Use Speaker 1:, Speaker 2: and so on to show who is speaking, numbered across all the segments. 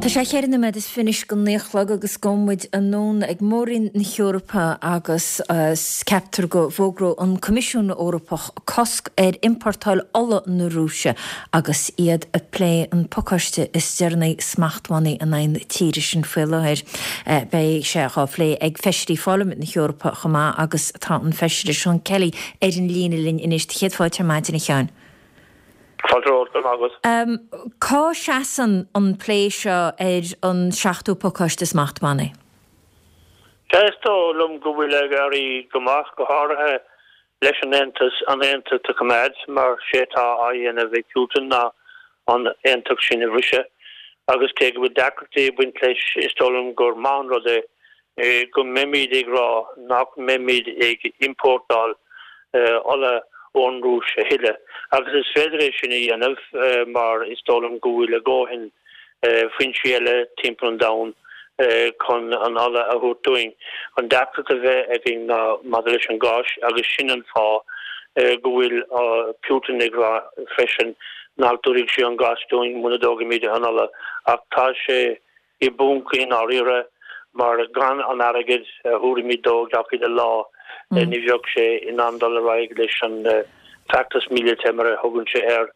Speaker 1: Tá sé cheithre nóiméad is fiche anois go naoi a chlog agus gabhfaidh muid anonn ag Mór-Roinn na hEorpa agus ceaptar go bhfógróidh an Coimisiún Eorpach cosc ar iompórtáil ola na Rúise agus iad ag plé an pacáiste is deireanaí smachtbhannaí in aghaidh na tíre sin faoi láthair. Beidh sé dhá phlé ag Feisirí Pharlaimint na hEorpa chomh maith agus tá an Feisire Seán Kelly ar an líne linn anois. Céad fáilte ar maidin a Sheáin.
Speaker 2: Fáilte romhat, go raibh maith
Speaker 1: agat. Cá seasann an plé seo ar an seachtú pacáiste smachtbhannaí?
Speaker 2: Sea, is dóigh liom go bhfuil ag éirí go maith, go háirithe leis an Aontas an aontacht a choimeád, mar sé atá á dhéanamh ag Putin ná an aontacht sin a bhriseadh. Agus cé go bhfuil deacrachtaí ag baint leis, is dóigh liom gur maith an rud é go mbeimid ag rá nach mbeimid ag iompórtáil ola ón Rúis a thuilleadh. Agus is féidir é sin a dhéanamh mar is dóigh liom go bhfuil a dhóthain foinsí eile timpeall an domhain chun an ola a thabhairt dúinn. An deacracht a bheidh againn ná maidir leis an gás agus sin an fáth go bhfuil Putin ag rá freisin nach dtabharfaidh sé an gás dúinn muna dtógfaimid an ola. Ach tá sé i bponc i ndáiríre mar gan an airgead a thabharfaimid dó gach uile lá ní bheadh sé in ann dul ar aghaidh leis an feachtas míleata mar a thugann sé air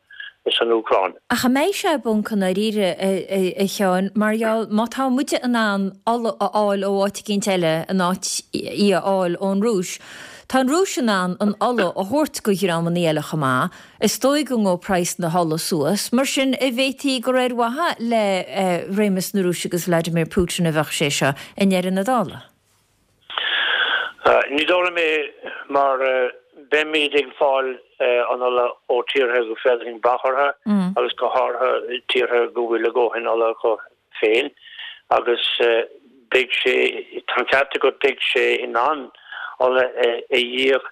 Speaker 2: san Úcráin.
Speaker 1: Ach an mbeidh sé i bponc i ndáiríre, a Sheáin, mar gheall má tá muide in ann ola a fháil ó áit eicínt eile in áit í a fháil ón Rúis, tá an Rúis in ann an ola a thabhairt go dhreamannaí eile chomh maith, Is dóigh go ngabhfaidh praghas na hola suas, mar sin an bhféadfaí gur ar mhaithe le réimeas na Rúise agus Vladimir Putin a bheadh sé seo i ndeireadh na dála.
Speaker 2: Ní dóigh liom é mar beimid ag fáil an ola ó tíortha go féidir linn brath orthu agus go háirithe tíortha go bhfuil a dhóthain ola acu féin agus beidh sé, tá an ceart agat, beidh sé in ann ola a dhíol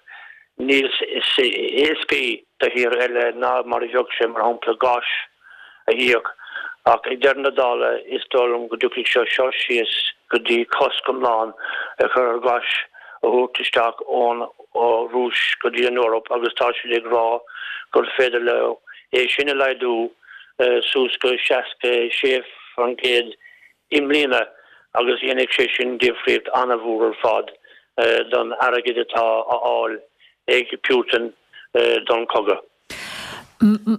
Speaker 2: níos éascaí do thír eile ná mar a bheadh sé, mar shampla, gás a dhíol. Ach ag deireadh na dála, is dóigh liom go dtiocfaidh sé seo síos go dtí cosc iomlán a chur ar ghás a thabhairt isteach ón Rúis go dtí an Eoraip agus tá siad ag rá gur féidir leo é sin a laghdú suas go 66% i mbliana agus dhéanfadh sé sin difríocht an-mhór ar fad don airgead atá á fháil ag Putin don chogadh.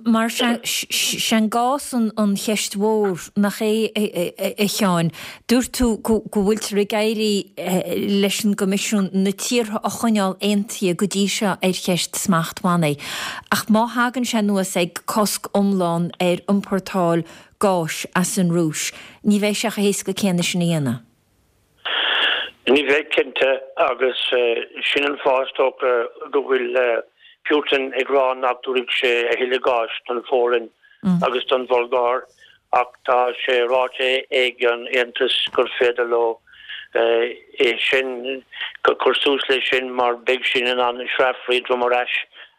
Speaker 1: Mar sé'n gás an cheist mhór, nach é, a Sheáin? Dúirt tú go bhfuiltear ag éirí leis an gCoimisiún na tíortha a choinneáil aontaithe go dtí seo ar cheist smachtbhannaí. Ach má thagann sé anuas ag cosc iomlán ar iompórtáil gáis as an Rúis, ní bheidh sé chomh héasca céanna sin a dhéanamh.
Speaker 2: Ní bheidh, cinnte, agus sin an fáth is dócha go bhfuil Putin ag rá nach dtabharfaidh sé a thuilleadh gáis don Pholainn agus don Bhulgáir ach tá sé ráite ag an Aontas gur féidir leo é sin, cur suas leis sin mar beidh siad in ann sreafaí droim ar ais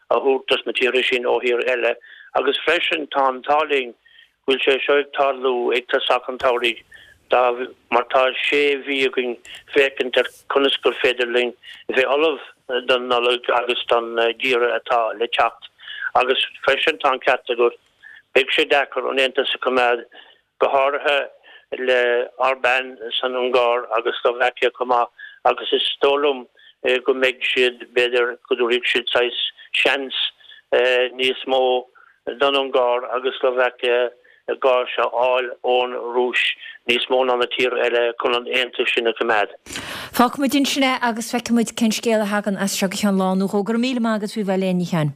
Speaker 2: a thabhairt dos na tíortha sin ó thír eile agus freisin tá an t-ádh linn go bhfuil sé seo ag tarlú ag tosach an tsamhraidh dá mar tá sé mhí againn féachaint ar conas gur féidir linn bheith ullamh don Nollaig agus don gheimhreadh atá le teacht. Agus freisin tá an ceart agat, beidh sé deacair an Aontas a choimeád, go háirithe le Orbán san Ungáir agus Slovakia chomh maith agus is dóigh liom go mbeidh siad, b'fhéidir go dtabharfaidh siad saghas seans níos mó don Ungáir agus Slovakia gás a fháil ón Rúis níos mó ná na tíortha eile chun an aontas sin a choimeád.
Speaker 1: Fágfaimid ansin é agus feicfimid cén scéal a thagann as seo go ceann lá nó dhó. Go raibh míle maith agat faoi bheith linn, a Sheáin.